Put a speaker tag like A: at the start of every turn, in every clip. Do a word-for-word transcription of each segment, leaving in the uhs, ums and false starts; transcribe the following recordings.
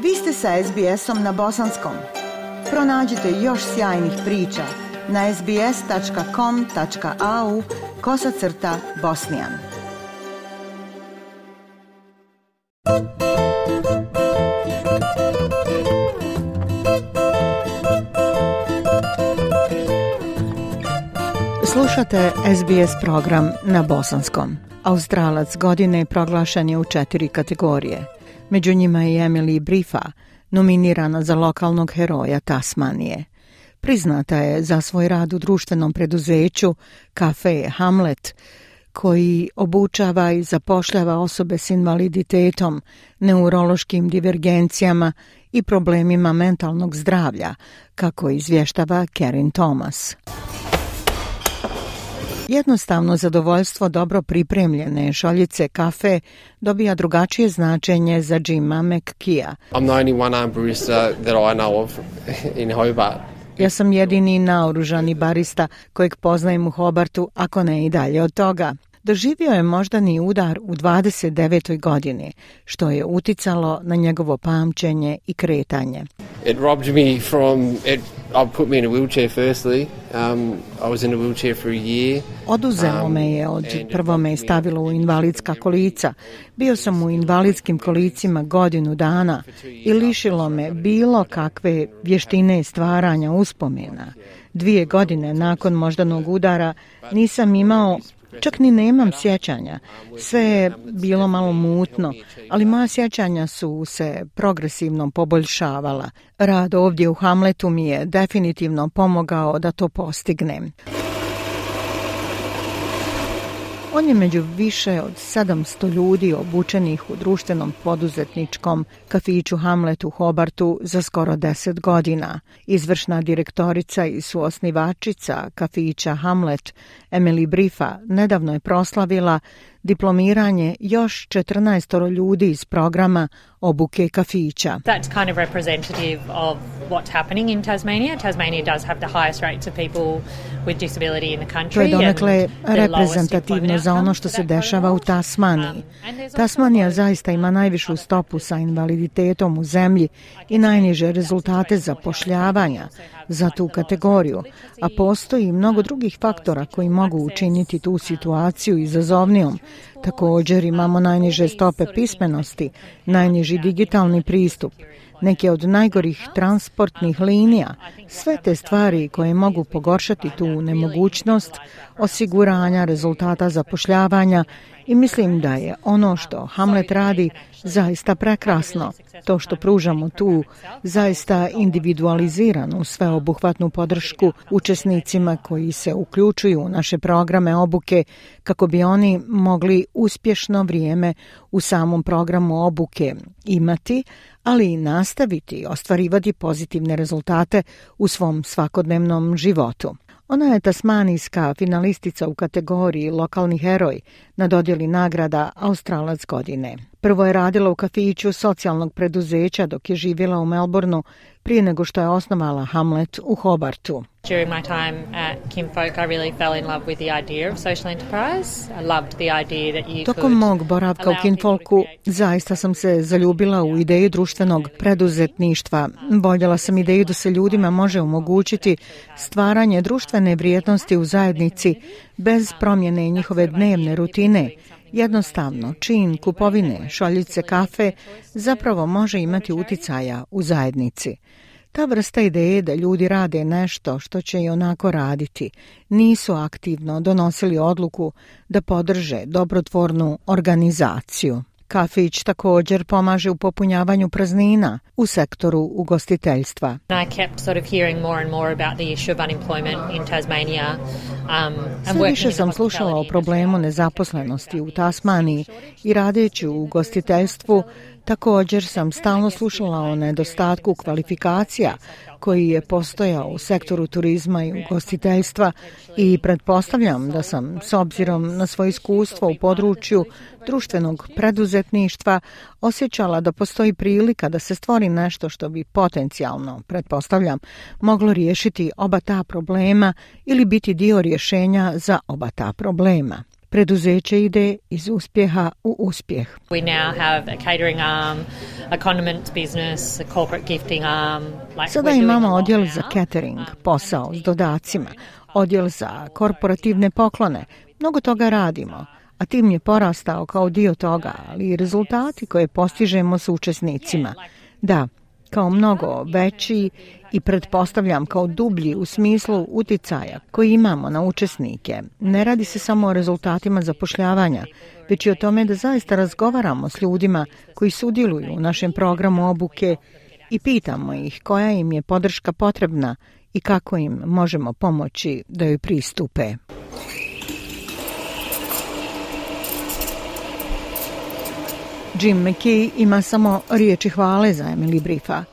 A: Vi ste sa es be esom na bosanskom. Pronađite još sjajnih priča na es be es tačka com tačka a u kosacrta bosnijan. Slušate es be es program na bosanskom. Australac godine proglašen je u četiri kategorije. Među njima je Emily Briffa, nominirana za lokalnog heroja Tasmanije. Priznata je za svoj rad u društvenom preduzeću Cafe Hamlet, koji obučava i zapošljava osobe s invaliditetom, neurološkim divergencijama i problemima mentalnog zdravlja, kako izvještava Karen Thomas. Jednostavno zadovoljstvo dobro pripremljene šoljice kafe dobija drugačije značenje za Jima McKeea.
B: I'm the only one-armed barista that I know of in Hobart.
A: Ja sam jedini naoružani barista kojeg poznajem u Hobartu, ako ne i dalje od toga. Doživio je moždani udar u dvadeset devetoj godini, što je uticalo na njegovo pamćenje i kretanje.
B: It robbed me from it, I put me in a wheelchair firstly. Um, I was in a wheelchair for a year.
A: Oduzelo me je, od prvo me je stavilo u invalidska kolica. Bio sam u invalidskim kolicima godinu dana i lišilo me bilo kakve vještine stvaranja uspomena. Dvije godine nakon moždanog udara nisam imao, čak ni nemam sjećanja. Sve je bilo malo mutno, ali moja sjećanja su se progresivno poboljšavala. Rad ovdje u Hamletu mi je definitivno pomogao da to postignem. On je među više od sedamsto ljudi obučenih u društvenom poduzetničkom kafiću Hamlet u Hobartu za skoro deset godina. Izvršna direktorica i suosnivačica kafića Hamlet, Emily Briffa, nedavno je proslavila diplomiranje još četrnaestoro ljudi iz programa obuke kafića.
C: That's kind of representative of what's happening in Tasmania. Tasmania does have the highest rates of people with disability in the country.
A: To je donekle reprezentativno za ono što se dešava u Tasmaniji. Tasmanija zaista ima najvišu stopu sa invaliditetom u zemlji i najniže rezultate zapošljavanja za tu kategoriju, a postoji mnogo drugih faktora koji mogu učiniti tu situaciju izazovnijom. Također imamo najniže stope pismenosti, najniži digitalni pristup, neke od najgorih transportnih linija, sve te stvari koje mogu pogoršati tu nemogućnost osiguranja rezultata zapošljavanja i mislim da je ono što Hamlet radi zaista prekrasno. To što pružamo tu zaista individualiziranu sveobuhvatnu podršku učesnicima koji se uključuju u naše programe obuke kako bi oni mogli uspješno vrijeme u samom programu obuke imati, ali i nastaviti ostvarivati pozitivne rezultate u svom svakodnevnom životu. Ona je tasmanijska finalistica u kategoriji lokalni heroj na dodjeli nagrada Australac godine. Prvo je radila u kafiću socijalnog preduzeća dok je živjela u Melbourneu prije nego što je osnovala Hamlet u Hobartu.
C: During my time at Kinfolk, I really fell in love with the idea of social enterprise. I loved the idea that you
A: Tokom mog boravka u Kinfolku zaista sam se zaljubila u ideju društvenog preduzetništva. Voljela sam ideju da se ljudima može omogućiti stvaranje društvene vrijednosti u zajednici bez promjene njihove dnevne rutine. Jednostavno, čin kupovine šoljice kafe zapravo može imati uticaja u zajednici. Ta vrsta ideje da ljudi rade nešto što će i onako raditi, nisu aktivno donosili odluku da podrže dobrotvornu organizaciju. Kafić također pomaže u popunjavanju praznina u sektoru ugostiteljstva.
C: I kept sort of hearing more and more about the issue of unemployment in Tasmania. Um,
A: Sve više sam slušala o problemu nezaposlenosti u Tasmaniji i radeći u ugostiteljstvu također sam stalno slušala o nedostatku kvalifikacija koji je postojao u sektoru turizma i ugostiteljstva i pretpostavljam da sam s obzirom na svoje iskustvo u području društvenog preduzetništva osjećala da postoji prilika da se stvori nešto što bi potencijalno, pretpostavljam, moglo riješiti oba ta problema ili biti dio rješenja za oba ta problema. Preduzeće ide iz uspjeha u uspjeh.
C: We now have a catering arm, a condiments business, a corporate gifting arm. Like
A: Sada imamo odjel za catering, posao s dodacima, odjel za korporativne poklone. Mnogo toga radimo, a tim je porastao kao dio toga, ali i rezultati koje postižemo s učesnicima. Da, kao mnogo veći i pretpostavljam kao dublji u smislu uticaja koji imamo na učesnike. Ne radi se samo o rezultatima zapošljavanja, već i o tome da zaista razgovaramo s ljudima koji sudjeluju u našem programu obuke i pitamo ih koja im je podrška potrebna i kako im možemo pomoći da joj pristupe. Jim McKee ima samo riječi hvale za Emily Briefa.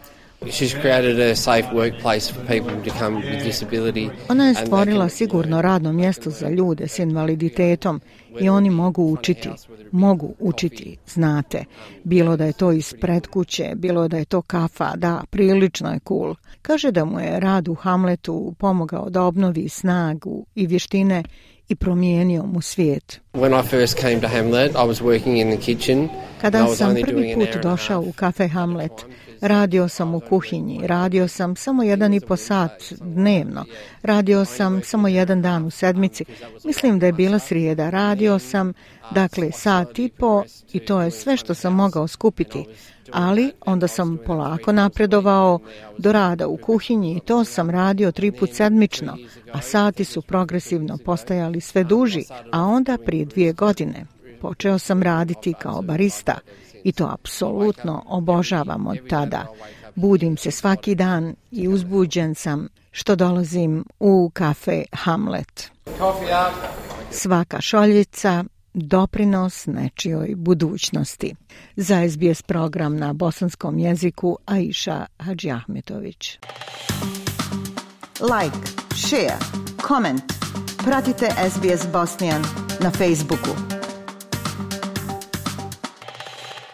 B: She's created a safe workplace for people to come with disability.
A: Ona je stvorila sigurno radno mjesto za ljude s invaliditetom i oni mogu učiti, mogu učiti, znate. Bilo da je to ispred kuće, bilo da je to kafa, da, prilično je cool. Kaže da mu je rad u Hamletu pomogao da obnovi snagu i vještine i promijenio mu svijet.
B: When I first came to Hamlet, I was working in the kitchen.
A: Kada sam prvi put došao u kafe Hamlet, radio sam u kuhinji, radio sam samo jedan i po sat dnevno, radio sam samo jedan dan u sedmici, mislim da je bila srijeda, radio sam, dakle, sat i po i to je sve što sam mogao skupiti, ali onda sam polako napredovao do rada u kuhinji i to sam radio tri put sedmično, a sati su progresivno postajali sve duži, a onda prije dvije godine počeo sam raditi kao barista i to apsolutno obožavam od tada. Budim se svaki dan i uzbuđen sam što dolazim u kafe Hamlet. Svaka šoljica doprinos nečijoj budućnosti. Za S B S program na bosanskom jeziku Aisha Hadžiahmetović.
D: Like, share, comment. Pratite S B S Bosnian na Facebooku.